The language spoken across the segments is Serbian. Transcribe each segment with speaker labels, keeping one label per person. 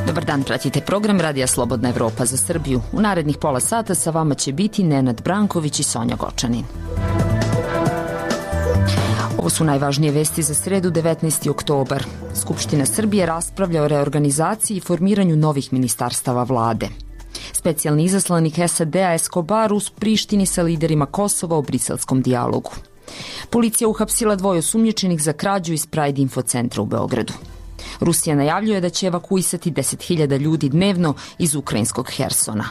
Speaker 1: Dobar dan, pratite program Radija Slobodna Evropa za Srbiju. U narednih pola sata sa vama će biti Nenad Branković i Sonja Gočanin. Ovo su najvažnije vesti za sredu 19. oktobar. Skupština Srbije raspravlja o reorganizaciji i formiranju novih ministarstava vlade. Specijalni izaslanik SAD-a Escobar u Prištini sa liderima Kosova o briselskom dijalogu. Policija uhapsila 2 osumnjičenih za krađu iz Pride Info centra u Beogradu. Rusija najavljuje da će evakuisati 10.000 ljudi dnevno iz ukrajinskog Hersona.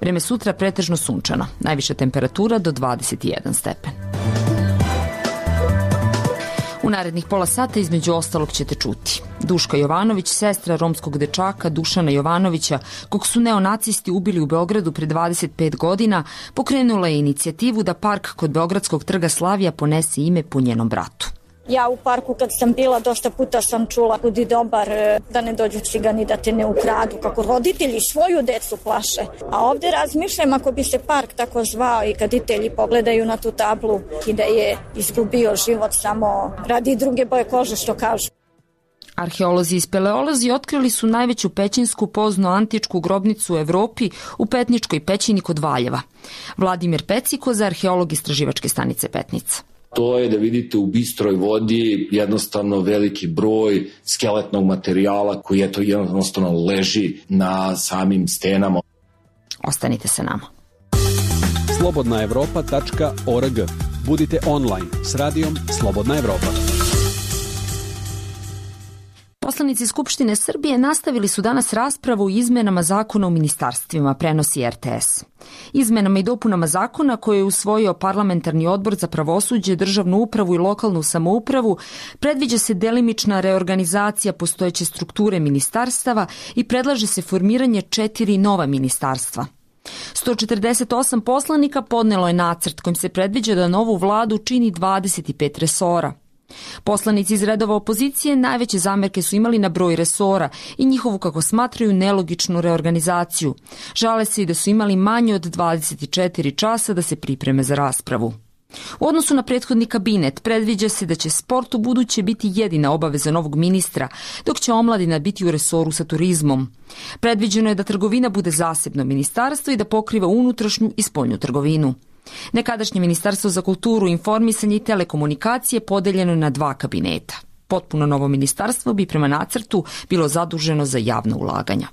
Speaker 1: Vreme sutra pretežno sunčano, najviša temperatura do 21 stepen. U narednih pola sata između ostalog ćete čuti. Duška Jovanović, sestra romskog dečaka Dušana Jovanovića, kog su neonacisti ubili u Beogradu pre 25 godina, pokrenula je inicijativu da park kod Beogradskog trga Slavija ponese ime po njenom bratu.
Speaker 2: Ja u parku kad sam bila dosta puta sam čula budi dobar, da ne dođu cigani da te ne ukradu, kako roditelji svoju decu plaše. A ovde razmišljam ako bi se park tako zvao i kad roditelji pogledaju na tu tablu i da je izgubio život samo radi druge boje kože, što kažu.
Speaker 1: Arheolozi i speleolozi otkrili su najveću pećinsku pozno-antičku grobnicu u Evropi u Petničkoj pećini kod Valjeva. Vladimir Pecikoza, arheolog istraživačke stanice Petnica.
Speaker 3: To je da vidite u bistroj vodi jednostavno veliki broj skeletnog materijala koji jednostavno leži na samim stenama.
Speaker 1: Ostanite sa nama.
Speaker 4: slobodnaevropa.org. Budite online s radijom Slobodna Evropa.
Speaker 1: Poslanici Skupštine Srbije nastavili su danas raspravu o izmenama zakona o ministarstvima, prenosi RTS. Izmenama i dopunama zakona koje je usvojio Parlamentarni odbor za pravosuđe, državnu upravu i lokalnu samoupravu predviđa se delimična reorganizacija postojeće strukture ministarstava i predlaže se formiranje 4 nova ministarstva. 148 poslanika podnelo je nacrt kojim se predviđa da novu vladu čini 25 resora. Poslanici iz redova opozicije najveće zamerke su imali na broj resora i njihovu, kako smatraju, nelogičnu reorganizaciju. Žale se i da su imali manje od 24 časa da se pripreme za raspravu. U odnosu na prethodni kabinet predviđa se da će sport u buduće biti jedina obaveza novog ministra, dok će omladina biti u resoru sa turizmom. Predviđeno je da trgovina bude zasebno ministarstvo i da pokriva unutrašnju i spoljnu trgovinu. Nekadašnje Ministarstvo za kulturu, informisanje i telekomunikacije podeljeno na 2 kabineta. Potpuno novo ministarstvo bi prema nacrtu bilo zaduženo za javna ulaganja.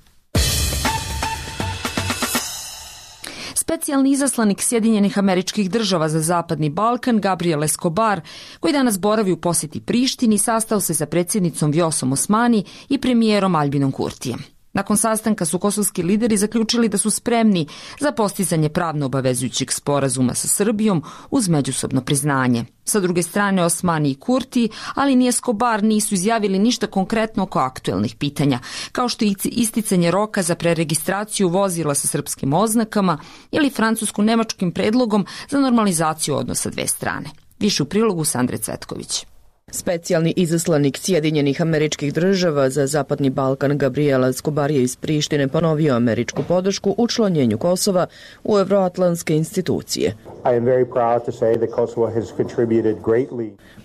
Speaker 1: Specijalni izaslanik Sjedinjenih Američkih Država za Zapadni Balkan, Gabriel Escobar, koji danas boravi u posjeti Prištini, sastao se sa predsjednicom Vjosom Osmani i premijerom Aljbinom Kurtijem. Nakon sastanka su kosovski lideri zaključili da su spremni za postizanje pravno obavezujućeg sporazuma sa Srbijom uz međusobno priznanje. Sa druge strane, Osmani i Kurti, ali ni Escobar nisu izjavili ništa konkretno oko aktuelnih pitanja, kao što je isticanje roka za preregistraciju vozila sa srpskim oznakama ili francusko-nemačkim predlogom za normalizaciju odnosa dve strane. Više u prilogu Sandre Cvetković.
Speaker 5: Specijalni izaslanik Sjedinjenih Američkih Država za Zapadni Balkan Gabriel Escobar je iz Prištine ponovio američku podršku učlanjenju Kosova u evroatlantske institucije.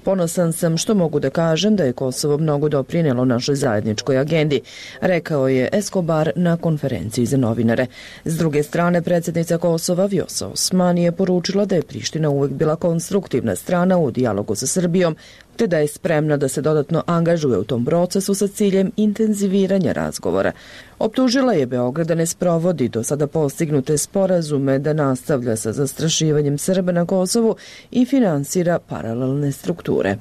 Speaker 5: Ponosan sam što mogu da kažem da je Kosovo mnogo doprinelo našoj zajedničkoj agendi, rekao je Escobar na konferenciji za novinare. S druge strane, predsjednica Kosova Vjosa Osmani je poručila da je Priština uvek bila konstruktivna strana u dijalogu sa Srbijom, te da je spremna da se dodatno angažuje u tom procesu sa ciljem intenziviranja razgovora. Optužila je Beograd da ne sprovodi do sada postignute sporazume, da nastavlja sa zastrašivanjem Srba na Kosovu i finansira paralelne strukture.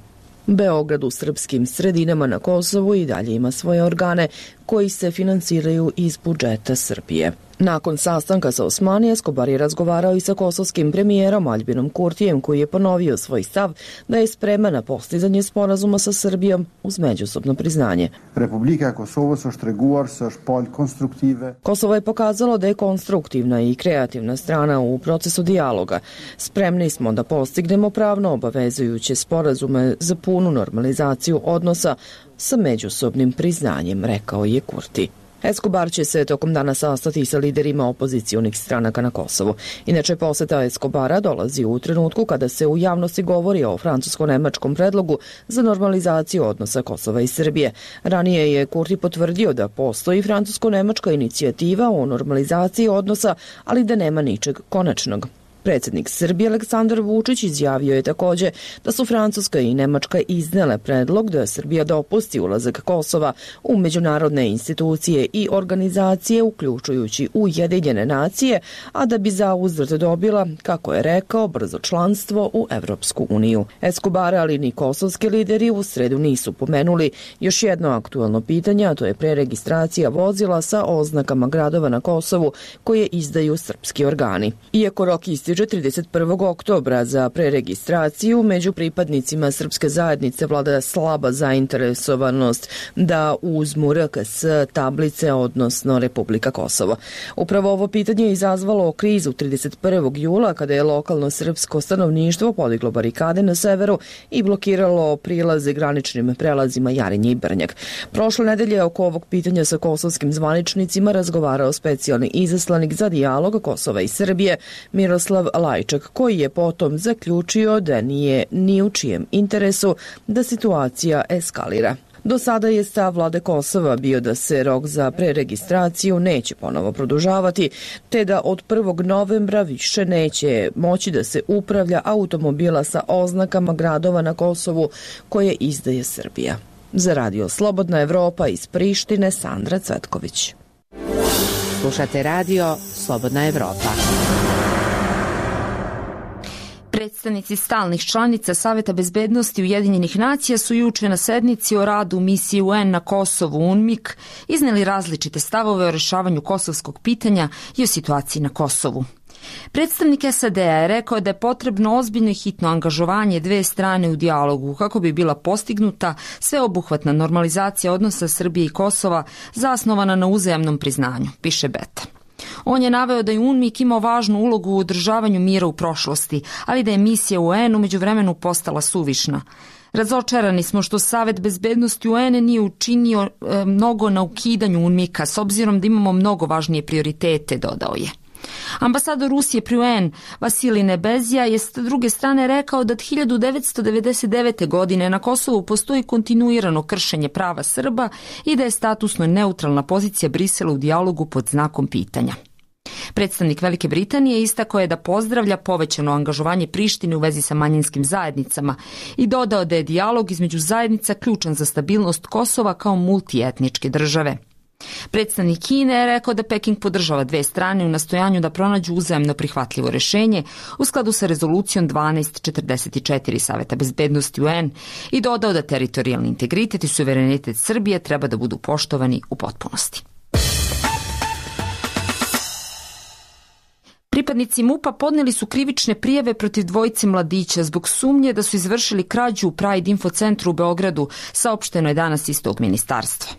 Speaker 5: Beograd u srpskim sredinama na Kosovu i dalje ima svoje organe koji se finansiraju iz budžeta Srbije. Nakon sastanka sa Osmani, Escobar je razgovarao i sa kosovskim premijerom Aljbinom Kurtijem, koji je ponovio svoj stav da je spreman na postizanje sporazuma sa Srbijom uz međusobno priznanje.
Speaker 6: Republika Kosovo
Speaker 5: Kosovo je pokazalo da je konstruktivna i kreativna strana u procesu dijaloga. Spremni smo da postignemo pravno obavezujuće sporazume za punu normalizaciju odnosa sa međusobnim priznanjem, rekao je Kurti. Escobar će se tokom dana sastati sa liderima opozicionih stranaka na Kosovu. Inače, poseta Escobara dolazi u trenutku kada se u javnosti govori o francusko-nemačkom predlogu za normalizaciju odnosa Kosova i Srbije. Ranije je Kurti potvrdio da postoji francusko-nemačka inicijativa o normalizaciji odnosa, ali da nema ničeg konačnog. Predsjednik Srbije Aleksandar Vučić izjavio je također da su Francuska i Nemačka iznele predlog da Srbija dopusti ulazak Kosova u međunarodne institucije i organizacije, uključujući Ujedinjene nacije, a da bi zauzvrat dobila, kako je rekao, brzo članstvo u Evropsku uniju. Escobar, ali ni kosovski lideri u sredu nisu pomenuli još jedno aktualno pitanje, a to je preregistracija vozila sa oznakama gradova na Kosovu koje izdaju srpski organi. Iako rok ističe 31. oktobra za preregistraciju, među pripadnicima srpske zajednice vlada slaba zainteresovanost da uzmu RKS tablice, odnosno Republika Kosovo. Upravo ovo pitanje je izazvalo krizu 31. jula kada je lokalno srpsko stanovništvo podiglo barikade na severu i blokiralo prilaze graničnim prelazima Jarinje i Brnjak. Prošle nedelje oko ovog pitanja sa kosovskim zvaničnicima razgovarao specijalni izaslanik za dijalog Kosova i Srbije Miroslav Lajčak, koji je potom zaključio da nije ni u čijem interesu da situacija eskalira. Do sada je stav vlade Kosova bio da se rok za preregistraciju neće ponovo produžavati, te da od 1. novembra više neće moći da se upravlja automobila sa oznakama gradova na Kosovu koje izdaje Srbija. Za Radio Slobodna Evropa iz Prištine, Sandra Cvetković.
Speaker 6: Slušate Radio Slobodna Evropa.
Speaker 1: Predstavnici stalnih članica Saveta bezbednosti Ujedinjenih nacija su juče na sednici o radu misije UN na Kosovu UNMIK izneli različite stavove o rešavanju kosovskog pitanja i o situaciji na Kosovu. Predstavnik SAD-a je rekao da je potrebno ozbiljno i hitno angažovanje dve strane u dijalogu kako bi bila postignuta sveobuhvatna normalizacija odnosa Srbije i Kosova zasnovana na uzajamnom priznanju, piše Beta. On je naveo da je UNMIK imao važnu ulogu u održavanju mira u prošlosti, ali da je misija UN u međuvremenu postala suvišna. Razočarani smo što Savet bezbednosti UN nije učinio mnogo na ukidanju UNMIK-a, s obzirom da imamo mnogo važnije prioritete, dodao je. Ambasador Rusije pri UN Vasilij Nebezija je s druge strane rekao da od 1999. godine na Kosovu postoji kontinuirano kršenje prava Srba i da je statusno neutralna pozicija Brisela u dijalogu pod znakom pitanja. Predstavnik Velike Britanije istakao je da pozdravlja povećano angažovanje Prištine u vezi sa manjinskim zajednicama i dodao da je dijalog između zajednica ključan za stabilnost Kosova kao multietničke države. Predstavnik Kine je rekao da Peking podržava dve strane u nastojanju da pronađu uzajamno prihvatljivo rešenje u skladu sa rezolucijom 1244 Saveta bezbednosti UN i dodao da teritorijalni integritet i suverenitet Srbije treba da budu poštovani u potpunosti. Pripadnici MUP-a podneli su krivične prijave protiv dvojice mladića zbog sumnje da su izvršili krađu u Pride Info centru u Beogradu, saopšteno je danas iz tog ministarstva.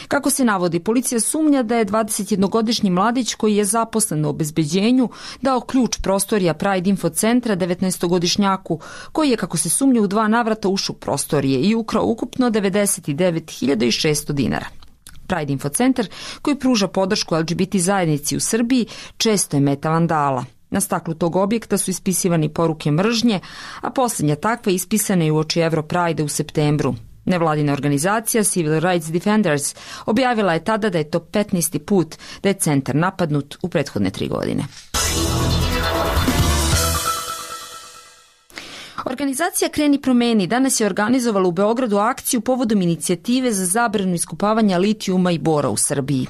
Speaker 1: Kako se navodi, policija sumnja da je 21-godišnji mladić koji je zaposlen u obezbeđenju dao ključ prostorija Pride Info centra 19-godišnjaku koji je, kako se sumnja, u 2 navrata ušao u prostorije i ukrao ukupno 99.600 dinara. Pride Info centar, koji pruža podršku LGBT zajednici u Srbiji, često je meta vandala. Na staklu tog objekta su ispisivani poruke mržnje, a posljednja takva ispisana je uoči Europride u septembru. Nevladina organizacija Civil Rights Defenders objavila je tada da je to 15. put da je centar napadnut u prethodne 3 godine. Organizacija Kreni promeni danas je organizovala u Beogradu akciju povodom inicijative za zabranu iskopavanja litijuma i bora u Srbiji.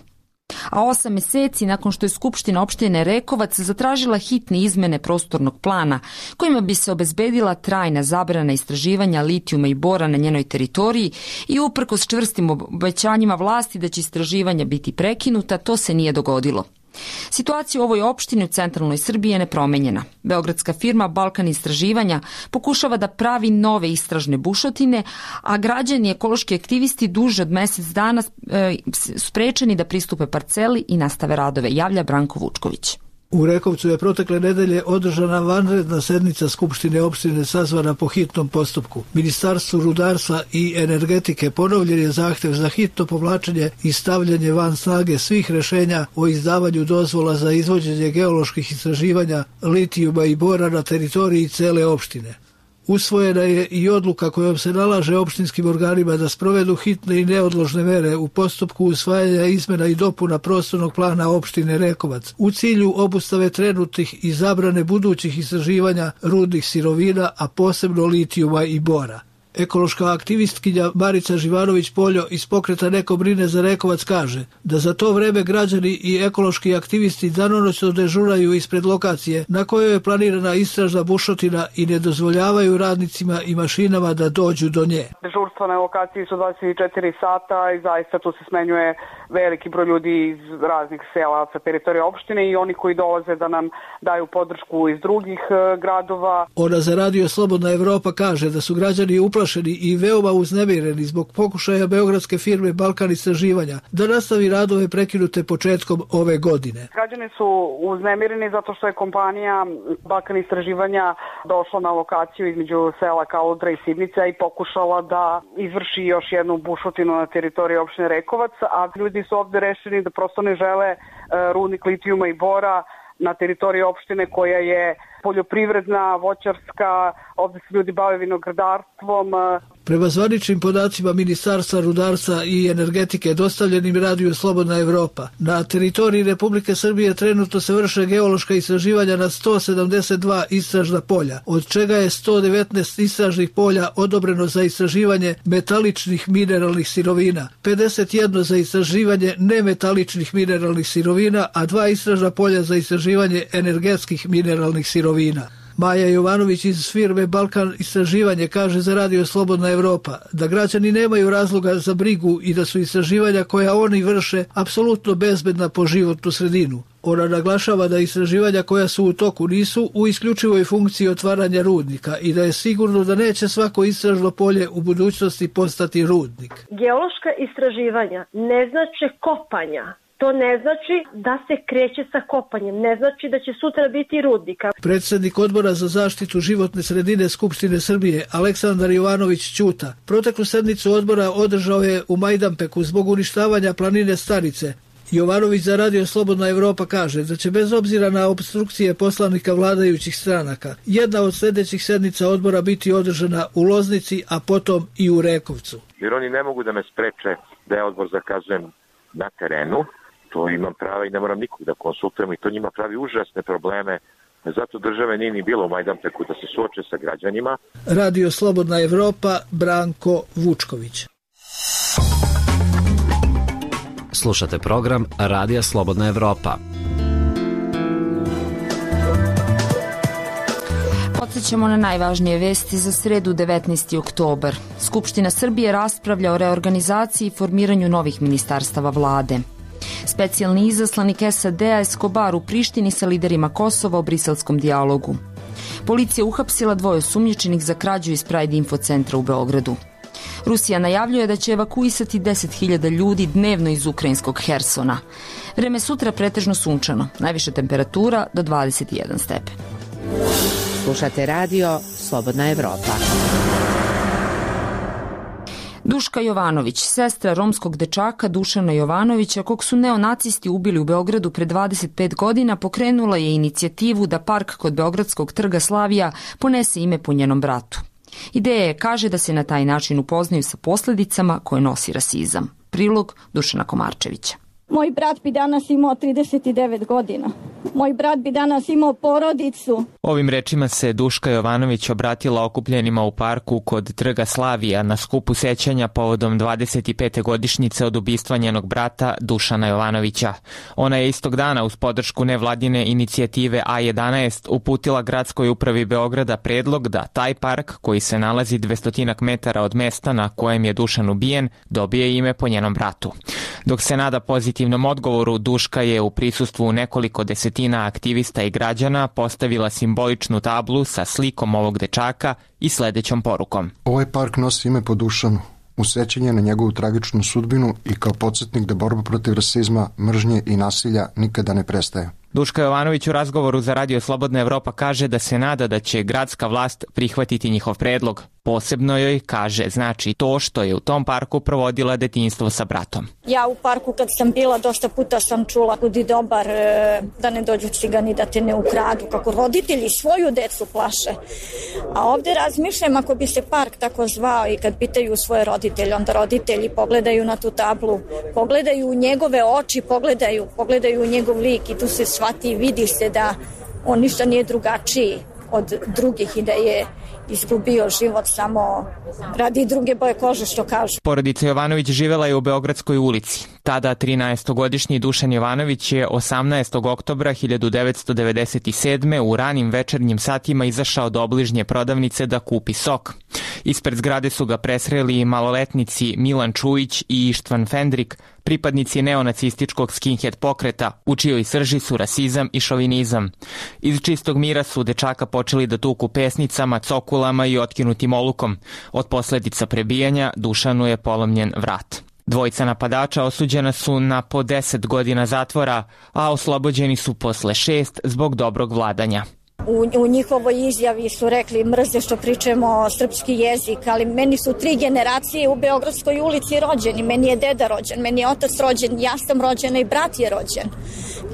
Speaker 1: A 8 meseci nakon što je Skupština opštine Rekovac zatražila hitne izmene prostornog plana kojima bi se obezbedila trajna zabrana istraživanja litijuma i bora na njenoj teritoriji i uprkos čvrstim obećanjima vlasti da će istraživanja biti prekinuta, to se nije dogodilo. Situacija u ovoj opštini u centralnoj Srbiji je nepromenjena. Beogradska firma Balkan istraživanja pokušava da pravi nove istražne bušotine, a građani i ekološki aktivisti duže od mesec dana sprečeni da pristupe parceli i nastave radove, javlja Branko Vučković.
Speaker 7: U Rekovcu je protekle nedelje održana vanredna sednica Skupštine opštine sazvana po hitnom postupku. Ministarstvu rudarstva i energetike ponovljen je zahtev za hitno povlačenje i stavljanje van snage svih rešenja o izdavanju dozvola za izvođenje geoloških istraživanja litijuma i bora na teritoriji cele opštine. Usvojena je i odluka kojom se nalaže opštinskim organima da sprovedu hitne i neodložne mere u postupku usvajanja izmena i dopuna prostornog plana opštine Rekovac u cilju obustave trenutnih i zabrane budućih istraživanja rudnih sirovina, a posebno litijuma i bora. Ekološka aktivistkinja Marica Živanović-Poljo iz pokreta Neko brine za Rekovac kaže da za to vreme građani i ekološki aktivisti danonoćno dežuraju ispred lokacije na kojoj je planirana istražna bušotina i ne dozvoljavaju radnicima i mašinama da dođu do nje.
Speaker 8: Dežurstva na lokaciji su 24 sata i zaista tu se smenjuje veliki broj ljudi iz raznih sela sa teritorije opštine i oni koji dolaze da nam daju podršku iz drugih gradova.
Speaker 7: Ona za Radio Slobodna Evropa kaže da su građani uplašeni i veoma uznemireni zbog pokušaja beogradske firme Balkan istraživanja da nastavi radove prekinute početkom ove godine.
Speaker 8: Građani su uznemireni zato što je kompanija Balkan istraživanja došla na lokaciju između sela Kaludra i Sibnica i pokušala da izvrši još jednu bušotinu na teritoriji opštine Rekovac, a ljudi su ovde rešeni da prosto ne žele rudnik litijuma i bora na teritoriji opštine koja je poljoprivredna, voćarska, ovde se ljudi bave vinogradarstvom.
Speaker 7: Prema zvaničnim podacima Ministarstva rudarstva i energetike dostavljenim Radiju Slobodna Evropa, na teritoriji Republike Srbije trenutno se vrše geološka istraživanja na 172 istražna polja, od čega je 119 istražnih polja odobreno za istraživanje metaličnih mineralnih sirovina, 51 za istraživanje nemetaličnih mineralnih sirovina, a 2 istražna polja za istraživanje energetskih mineralnih sirovina. Maja Jovanović iz firme Balkan istraživanje kaže za Radio Slobodna Evropa da građani nemaju razloga za brigu i da su istraživanja koja oni vrše apsolutno bezbedna po životnu sredinu. Ona naglašava da istraživanja koja su u toku nisu u isključivoj funkciji otvaranja rudnika i da je sigurno da neće svako istražno polje u budućnosti postati rudnik.
Speaker 9: Geološka istraživanja ne znače kopanja. To ne znači da se kreće sa kopanjem, ne znači da će sutra biti rudnika.
Speaker 7: Predsednik Odbora za zaštitu životne sredine Skupštine Srbije, Aleksandar Jovanović Ćuta, proteklu sednicu odbora održao je u Majdanpeku zbog uništavanja planine Starice. Jovanović za Radio Slobodna Evropa kaže da će bez obzira na opstrukcije poslanika vladajućih stranaka, jedna od sljedećih sednica odbora biti održana u Loznici, a potom i u Rekovcu.
Speaker 10: Jer oni ne mogu da me spreče da je odbor zakazujem na terenu. To imam prava i ne moram nikog da konsultujem i to njima pravi užasne probleme. Zato države nije ni bilo u Majdanpeku da se suoče sa građanima.
Speaker 7: Radio Slobodna Evropa, Branko Vučković.
Speaker 11: Slušate program Radija Slobodna Evropa.
Speaker 1: Podsjećamo na najvažnije vesti za sredu 19. oktobar. Skupština Srbije raspravlja o reorganizaciji i formiranju novih ministarstava vlade. Specijalni izaslanik SAD-a Escobar u Prištini sa liderima Kosova o briselskom dijalogu. Policija uhapsila 2 osumnjičenih za krađu iz Pride Info centra u Beogradu. Rusija najavljuje da će evakuisati 10.000 ljudi dnevno iz ukrajinskog Hersona. Vreme sutra pretežno sunčano, najviša temperatura do 21 stepen.
Speaker 6: Slušate radio Slobodna Evropa.
Speaker 1: Duška Jovanović, sestra romskog dečaka Dušana Jovanovića, kog su neonacisti ubili u Beogradu pre 25 godina, pokrenula je inicijativu da park kod Beogradskog trga Slavija ponese ime po njenom bratu. Ideja je, kaže, da se na taj način upoznaju sa posljedicama koje nosi rasizam. Prilog Dušana Komarčevića.
Speaker 2: Moj brat bi danas imao 39 godina. Moj brat bi danas imao porodicu.
Speaker 12: Ovim rečima se Duška Jovanović obratila okupljenima u parku kod trga Slavija na skupu sećanja povodom 25. godišnjice od ubistva njenog brata Dušana Jovanovića. Ona je istog dana uz podršku nevladine inicijative A11 uputila gradskoj upravi Beograda predlog da taj park, koji se nalazi 200 metara od mesta na kojem je Dušan ubijen, dobije ime po njenom bratu. Dok se nada pozitivnom odgovoru, Duška je u prisustvu nekoliko desetina aktivista i građana postavila simboličnu tablu sa slikom ovog dečaka i sledećom porukom.
Speaker 13: Ovaj park nosi ime po Dušanu, u sećanje na njegovu tragičnu sudbinu i kao podsjetnik da borba protiv rasizma, mržnje i nasilja nikada ne prestaje.
Speaker 12: Duška Jovanović u razgovoru za Radio Slobodna Evropa kaže da se nada da će gradska vlast prihvatiti njihov predlog. Posebno joj, kaže, znači to što je u tom parku provodila detinjstvo sa bratom.
Speaker 2: Ja u parku kad sam bila dosta puta sam čula budi dobar, da ne dođu cigani da te ne ukradu, kako roditelji svoju decu plaše. A ovde razmišljam ako bi se park tako zvao i kad pitaju svoje roditelje, onda roditelji pogledaju na tu tablu, pogledaju u njegove oči, pogledaju u njegov lik i tu se shvati i vidi se da on ništa nije drugačiji od drugih i da je izgubio život samo radi druge boje kože, što kažu.
Speaker 12: Porodica Jovanović živela je u Beogradskoj ulici. Tada 13-godišnji Dušan Jovanović je 18. oktobra 1997. u ranim večernjim satima izašao do obližnje prodavnice da kupi sok. Ispred zgrade su ga presreli maloletnici Milan Čujić i Ištvan Fendrik, pripadnici neonacističkog skinhead pokreta, u čijoj srži su rasizam i šovinizam. Iz čistog mira su dečaka počeli da tuku pesnicama, cokulama i otkinutim olukom. Od posledica prebijanja Dušanu je polomljen vrat. Dvojica napadača osuđena su na po 10 godina zatvora, a oslobođeni su posle 6 zbog dobrog vladanja.
Speaker 2: U njihovoj izjavi su rekli mrze što pričamo srpski jezik, ali meni su 3 generacije u Beogradskoj ulici rođeni. Meni je deda rođen, meni je otac rođen, ja sam rođena i brat je rođen.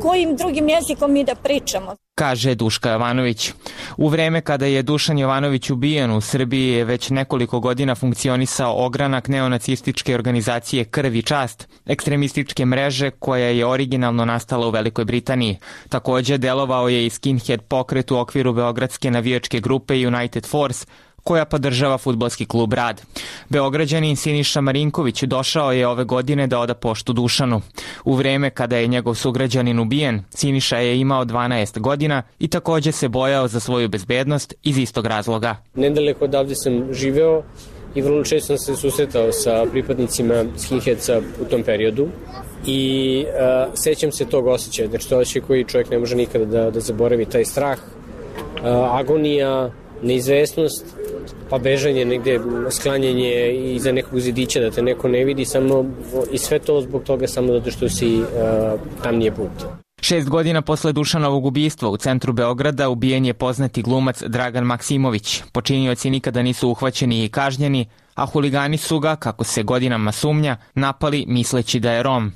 Speaker 2: Kojim drugim jezikom mi da pričamo?
Speaker 12: Kaže Duška Jovanović. U vreme kada je Dušan Jovanović ubijen, u Srbiji je već nekoliko godina funkcionisao ogranak neonacističke organizacije Krv i čast, ekstremističke mreže koja je originalno nastala u Velikoj Britaniji. Takođe delovao je i skinhead pokret u okviru beogradske navijačke grupe United Force, koja podržava fudbalski klub Rad. Beograđanin Siniša Marinković došao je ove godine da oda poštu Dušanu. U vreme kada je njegov sugrađanin ubijen, Siniša je imao 12 godina i takođe se bojao za svoju bezbednost iz istog razloga.
Speaker 14: Nedaleko odavde sam živeo i vrlo često sam se susretao sa pripadnicima skinheadsa u tom periodu i sećam se tog osjećaja, znači to osjećaj koji čovjek ne može nikada da zaboravi, taj strah, agonija, neizvesnost, pa bežanje negde, sklanjanje iza nekog zidića da te neko ne vidi, samo i sve to zbog toga samo zato što si tam nije put.
Speaker 12: 6 godina posle Dušanovog ubistva u centru Beograda ubijen je poznati glumac Dragan Maksimović. Počinioci nikada nisu uhvaćeni i kažnjeni, a huligani su ga, kako se godinama sumnja, napali misleći da je Rom.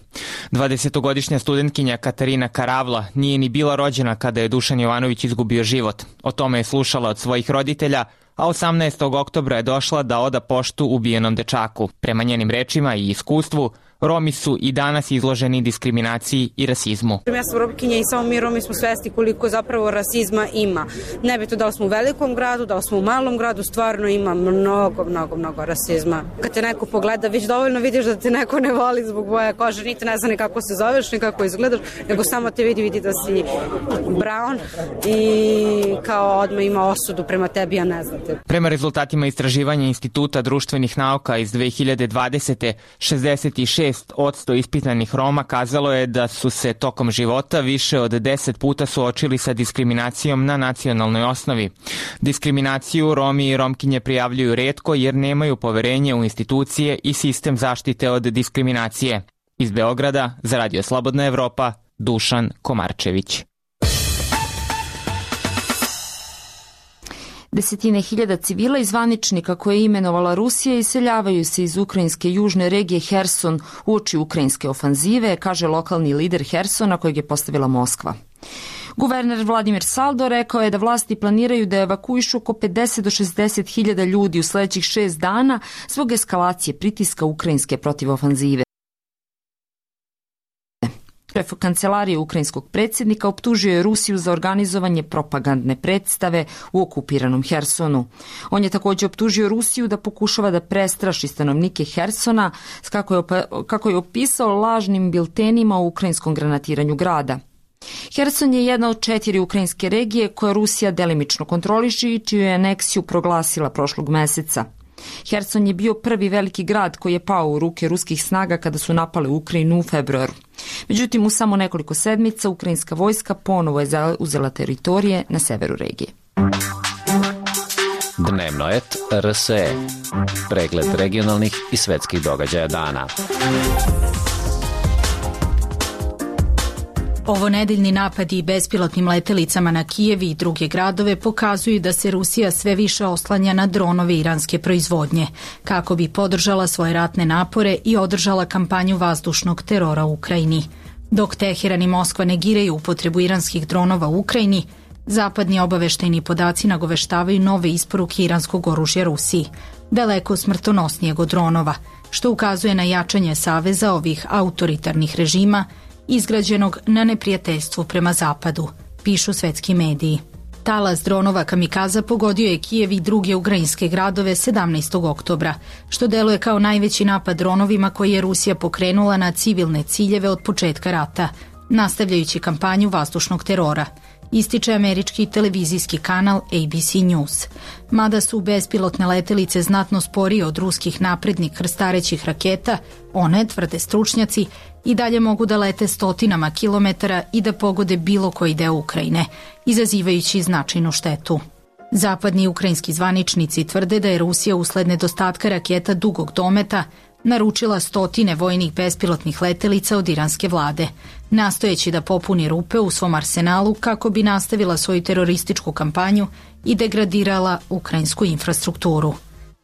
Speaker 12: 20-godišnja studentkinja Katarina Karavla nije ni bila rođena kada je Dušan Jovanović izgubio život. O tome je slušala od svojih roditelja, a 18. oktobra je došla da oda poštu ubijenom dečaku. Prema njenim rečima i iskustvu, Romi su i danas izloženi diskriminaciji i rasizmu.
Speaker 15: Ja sam Romkinja i samo mi Romi smo svesti koliko zapravo rasizma ima. Nebitno da li smo u velikom gradu, da li smo u malom gradu, stvarno ima mnogo rasizma. Kad te neko pogleda, već dovoljno vidiš da te neko ne voli zbog boje kože, niti ne zna ni kako se zoveš, ni kako izgledaš, nego samo te vidi da si brown i kao odmah ima osudu prema tebi, a ne znate.
Speaker 12: Prema rezultatima istraživanja Instituta društvenih nauka iz 2020. 66% ispitanih Roma kazalo je da su se tokom života više od 10 puta suočili sa diskriminacijom na nacionalnoj osnovi. Diskriminaciju Romi i Romkinje prijavljuju retko jer nemaju poverenje u institucije i sistem zaštite od diskriminacije. Iz Beograda, za Radio Slobodna Evropa, Dušan Komarčević.
Speaker 1: Desetine hiljada civila i zvaničnika koje je imenovala Rusija iseljavaju se iz ukrajinske južne regije Herson uoči ukrajinske ofanzive, kaže lokalni lider Hersona kojeg je postavila Moskva. Guverner Vladimir Saldo rekao je da vlasti planiraju da evakuišu oko 50 do 60 hiljada ljudi u sledećih 6 dana zbog eskalacije pritiska ukrajinske protiv ofanzive. Šef kancelarije ukrajinskog predsjednika optužio je Rusiju za organizovanje propagandne predstave u okupiranom Hersonu. On je također optužio Rusiju da pokušava da prestraši stanovnike Hersona, kako je opisao lažnim biltenima o ukrajinskom granatiranju grada. Herson je jedna od 4 ukrajinske regije koje Rusija delimično kontroliše i čiju je aneksiju proglasila prošlog meseca. Herson je bio prvi veliki grad koji je pao u ruke ruskih snaga kada su napale Ukrajinu u februaru. Međutim, u samo nekoliko sedmica ukrajinska vojska ponovo je zauzela teritorije na severu regije.
Speaker 11: Dnevno et RSE. Pregled regionalnih i svetskih događaja dana.
Speaker 16: Ovonedeljni napadi bespilotnim letelicama na Kijev i druge gradove pokazuju da se Rusija sve više oslanja na dronove iranske proizvodnje, kako bi podržala svoje ratne napore i održala kampanju vazdušnog terora u Ukrajini. Dok Teheran i Moskva negiraju upotrebu iranskih dronova u Ukrajini, zapadni obaveštajni podaci nagoveštavaju nove isporuke iranskog oružja Rusiji, daleko smrtonosnijeg od dronova, što ukazuje na jačanje saveza ovih autoritarnih režima izgrađenog na neprijateljstvu prema zapadu, pišu svetski mediji. Talas dronova kamikaza pogodio je Kijev i druge ukrajinske gradove 17. oktobra, što deluje kao najveći napad dronovima koji je Rusija pokrenula na civilne ciljeve od početka rata, nastavljajući kampanju vazdušnog terora, ističe američki televizijski kanal ABC News. Mada su bespilotne letelice znatno sporije od ruskih naprednih krstarećih raketa, one, tvrde stručnjaci, i dalje mogu da lete stotinama kilometara i da pogode bilo koji deo Ukrajine, izazivajući značajnu štetu. Zapadni ukrajinski zvaničnici tvrde da je Rusija usled nedostatka raketa dugog dometa naručila stotine vojnih bespilotnih letelica od iranske vlade, nastojeći da popuni rupe u svom arsenalu kako bi nastavila svoju terorističku kampanju i degradirala ukrajinsku infrastrukturu.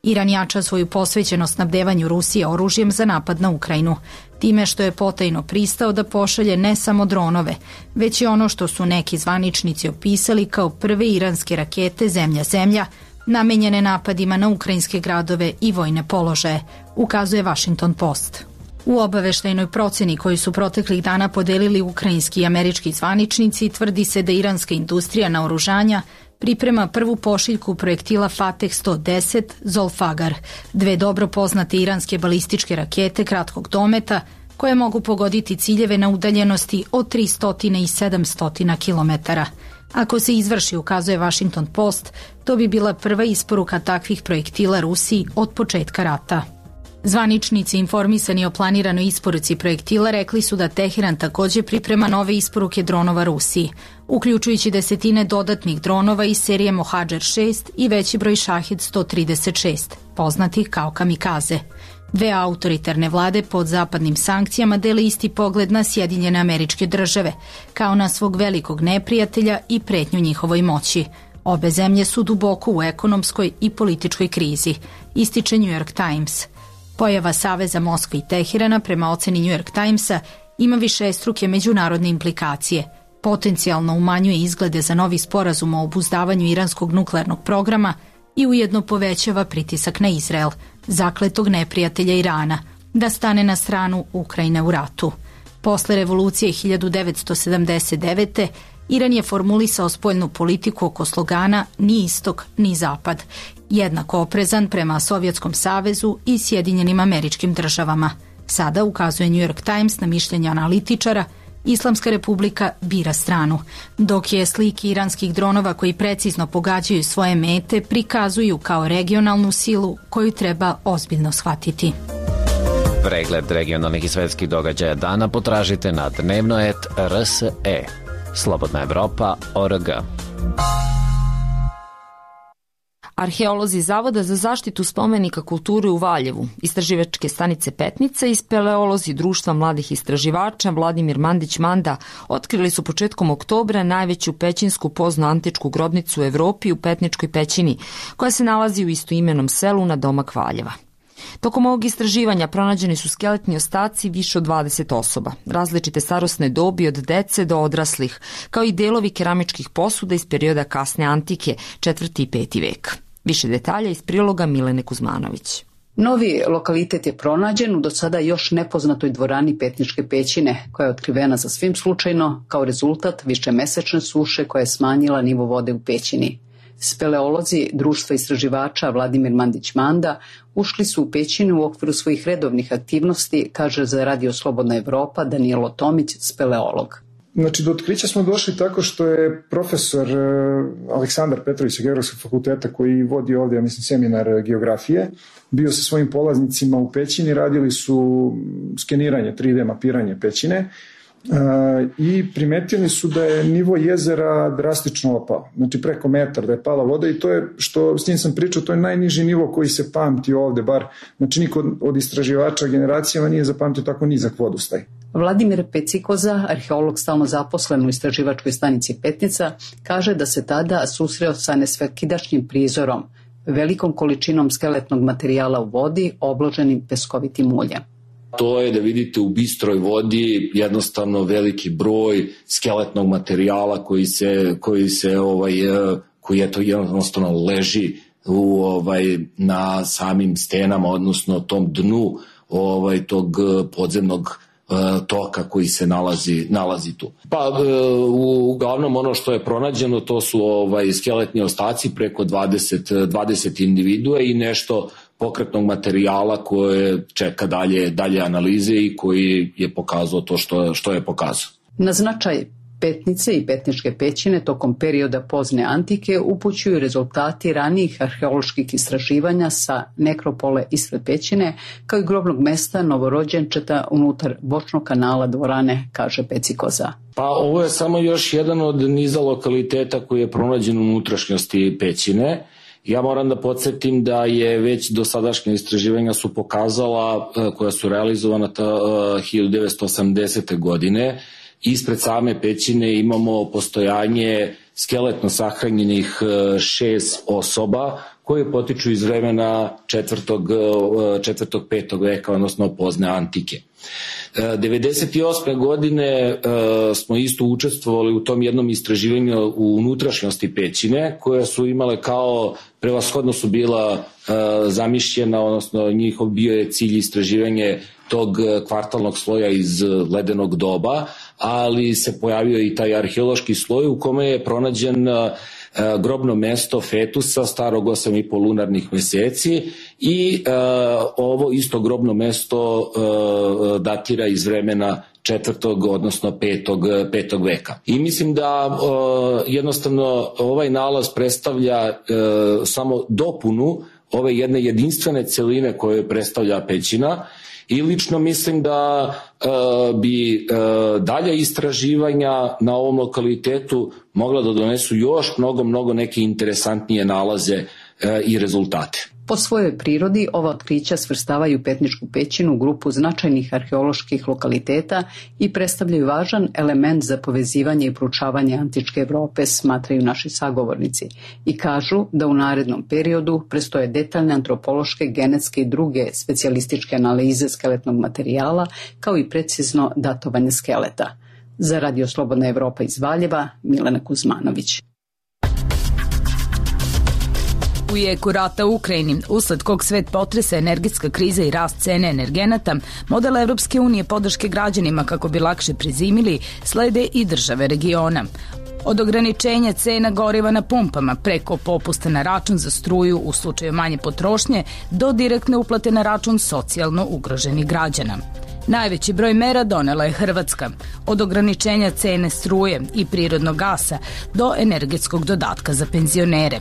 Speaker 16: Iran jača svoju posvećenost snabdevanju Rusije oružjem za napad na Ukrajinu, time što je potajno pristao da pošalje ne samo dronove, već i ono što su neki zvaničnici opisali kao prve iranske rakete zemlja-zemlja, namenjene napadima na ukrajinske gradove i vojne položaje, ukazuje Washington Post. U obaveštajnoj proceni koju su proteklih dana podelili ukrajinski i američki zvaničnici, tvrdi se da iranska industrija naoružanja priprema prvu pošiljku projektila Fateh 110 Zolfagar, dve dobro poznate iranske balističke rakete kratkog dometa koje mogu pogoditi ciljeve na udaljenosti od 300 i 700 kilometara. Ako se izvrši, ukazuje Washington Post, to bi bila prva isporuka takvih projektila Rusiji od početka rata. Zvaničnici informisani o planiranoj isporuci projektila rekli su da Teheran također priprema nove isporuke dronova Rusiji, uključujući desetine dodatnih dronova iz serije Mohađer 6 i veći broj Šahid 136, poznatih kao kamikaze. Dve autoritarne vlade pod zapadnim sankcijama dele isti pogled na Sjedinjene Američke Države, kao na svog velikog neprijatelja i pretnju njihovoj moći. Obe zemlje su duboko u ekonomskoj i političkoj krizi, ističe New York Times. Pojava saveza Moskve i Teherana, prema oceni New York Timesa, ima višestruke međunarodne implikacije. Potencijalno umanjuje izglede za novi sporazum o obuzdavanju iranskog nuklearnog programa i ujedno povećava pritisak na Izrael, zakletog neprijatelja Irana, da stane na stranu Ukrajine u ratu. Posle revolucije 1979. Iran je formulisao spoljnu politiku oko slogana ni istok ni zapad, jednako oprezan prema Sovjetskom savezu i Sjedinjenim Američkim Državama. Sada, ukazuje New York Times na mišljenje analitičara, Islamska republika bira stranu, dok je slike iranskih dronova koji precizno pogađaju svoje mete prikazuju kao regionalnu silu koju treba ozbiljno shvatiti.
Speaker 11: Pregled regionalnih i svetskih događaja dana potražite na dnevnoet.rse. Slobodna Evropa.org.
Speaker 1: Arheolozi Zavoda za zaštitu spomenika kulture u Valjevu, istraživačke stanice Petnica i speleolozi Društva mladih istraživača Vladimir Mandić-Manda otkrili su početkom oktobra najveću pećinsku poznoantičku grobnicu u Evropi u Petničkoj pećini, koja se nalazi u istoimenom selu na domak Valjeva. Tokom ovog istraživanja pronađeni su skeletni ostaci više od 20 osoba, različite starosne dobi od dece do odraslih, kao i delovi keramičkih posuda iz perioda kasne antike, 4. i 5. vek. Više detalja iz priloga Milene Kuzmanović.
Speaker 17: Novi lokalitet je pronađen u do sada još nepoznatoj dvorani Petničke pećine, koja je otkrivena sasvim slučajno kao rezultat višemesečne suše koja je smanjila nivo vode u pećini. Speleolozi Društva istraživača Vladimir Mandić-Manda ušli su u pećinu u okviru svojih redovnih aktivnosti, kaže za Radio Slobodna Evropa Danilo Tomić, speleolog.
Speaker 18: Znači, do otkrića smo došli tako što je profesor Aleksandar Petrović sa Geografskog fakulteta, koji vodi ovdje, ja mislim, seminar geografije, bio sa svojim polaznicima u pećini, radili su skeniranje, 3D mapiranje pećine, i primetili su da je nivo jezera drastično opao, znači preko metar da je pala voda, i to je, što s njim sam pričao, to je najniži nivo koji se pamti ovde, bar, znači niko od istraživača generacijama nije zapamtio tako nizak vodostaj.
Speaker 17: Vladimir Pecikoza, arheolog stalno zaposlen u istraživačkoj stanici Petnica, kaže da se tada susreo sa nesvakidašnjim prizorom, velikom količinom skeletnog materijala u vodi obloženim peskovitim uljem.
Speaker 3: To je da vidite u bistroj vodi jednostavno veliki broj skeletnog materijala koji jednostavno leži na samim stenama, odnosno tom dnu tog podzemnog toka koji se nalazi tu. Pa uglavnom ono što je pronađeno to su skeletni ostaci preko 20 individua i nešto pokretnog materijala koje čeka dalje analize i koji je pokazao to što je pokazao.
Speaker 17: Na značaj Petnice i Petničke pećine tokom perioda pozne antike upućuju rezultati ranijih arheoloških istraživanja sa nekropole ispred pećine, kao i grobnog mesta novorođenčeta unutar bočnog kanala dvorane, kaže Pecikoza.
Speaker 3: Pa ovo je samo još jedan od niza lokaliteta koji je pronađen u unutrašnjosti pećine. Ja moram da podsjetim da je već dosadašnja istraživanja su pokazala, koja su realizovana 1980. godine, ispred same pećine imamo postojanje skeletno sahranjenih 6 osoba koje potiču iz vremena 4. 5. veka, odnosno pozne antike. 1998. godine smo isto učestvovali u tom jednom istraživanju u unutrašnjosti pećine, koja su imale prevashodno su bila zamišljena, odnosno njihov bio je cilj istraživanje tog kvartalnog sloja iz ledenog doba, ali se pojavio i taj arheološki sloj u kome je pronađen grobno mesto fetusa starog 8,5 lunarnih meseci i ovo isto grobno mesto datira iz vremena 4. odnosno 5. veka. I mislim da jednostavno ovaj nalaz predstavlja samo dopunu ove jedne jedinstvene celine koje predstavlja pećina. I lično mislim da bi dalja istraživanja na ovom lokalitetu mogla da donesu još mnogo neke interesantnije nalaze i rezultate.
Speaker 17: Po svojoj prirodi ova otkrića svrstavaju Petničku pećinu u grupu značajnih arheoloških lokaliteta i predstavljaju važan element za povezivanje i proučavanje antičke Evrope, smatraju naši sagovornici, i kažu da u narednom periodu prestoje detaljne antropološke, genetske i druge specijalističke analize skeletnog materijala, kao i precizno datovanje skeleta. Za Radio Slobodna Evropa iz Valjeva, Milena Kuzmanović.
Speaker 16: U jeku rata u Ukrajini, usled kog svet potresa energetska kriza i rast cene energenata, model Evropske unije podrške građanima kako bi lakše prezimili, slede i države regiona. Od ograničenja cena goriva na pumpama, preko popusta na račun za struju u slučaju manje potrošnje, do direktne uplate na račun socijalno ugroženih građana. Najveći broj mera donela je Hrvatska, od ograničenja cene struje i prirodnog gasa do energetskog dodatka za penzionere.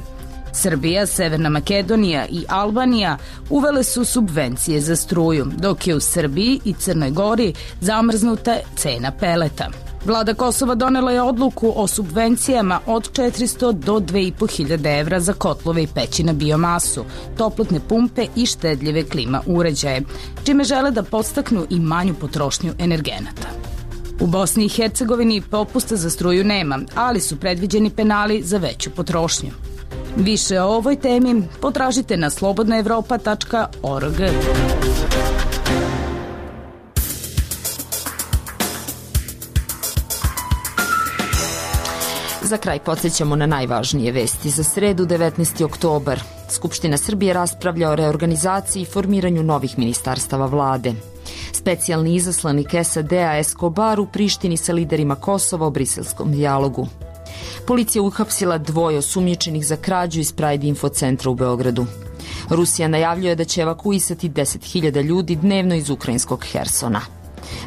Speaker 16: Srbija, Severna Makedonija i Albanija uvele su subvencije za struju, dok je u Srbiji i Crnoj Gori zamrznuta cena peleta. Vlada Kosova donela je odluku o subvencijama od 400 do 2.500 evra za kotlove i peći na biomasu, toplotne pumpe i štedljive klima uređaje, čime žele da podstaknu i manju potrošnju energenata. U Bosni i Hercegovini popusta za struju nema, ali su predviđeni penali za veću potrošnju. Više o ovoj temi potražite na slobodnaevropa.org.
Speaker 1: Za kraj podsjećamo na najvažnije vesti za sredu 19. oktobar. Skupština Srbije raspravlja o reorganizaciji i formiranju novih ministarstava vlade. Specijalni izaslanik SAD-a Escobar u Prištini sa liderima Kosova o briselskom dijalogu. Policija uhapsila 2 osumnjičenih za krađu iz Pride Info centra u Beogradu. Rusija najavljuje da će evakuisati 10.000 ljudi dnevno iz ukrajinskog Hersona.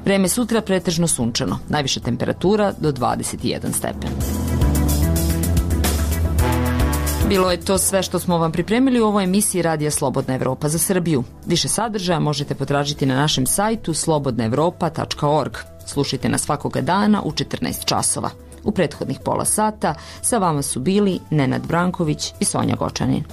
Speaker 1: Vreme sutra pretežno sunčano, najviša temperatura do 21 stepen. Bilo je to sve što smo vam pripremili u ovoj emisiji Radija Slobodna Evropa za Srbiju. Više sadržaja možete potražiti na našem sajtu slobodnaevropa.org. Slušajte nas svakoga dana u 14 časova. U prethodnih pola sata sa vama su bili Nenad Branković i Sonja Gočanin.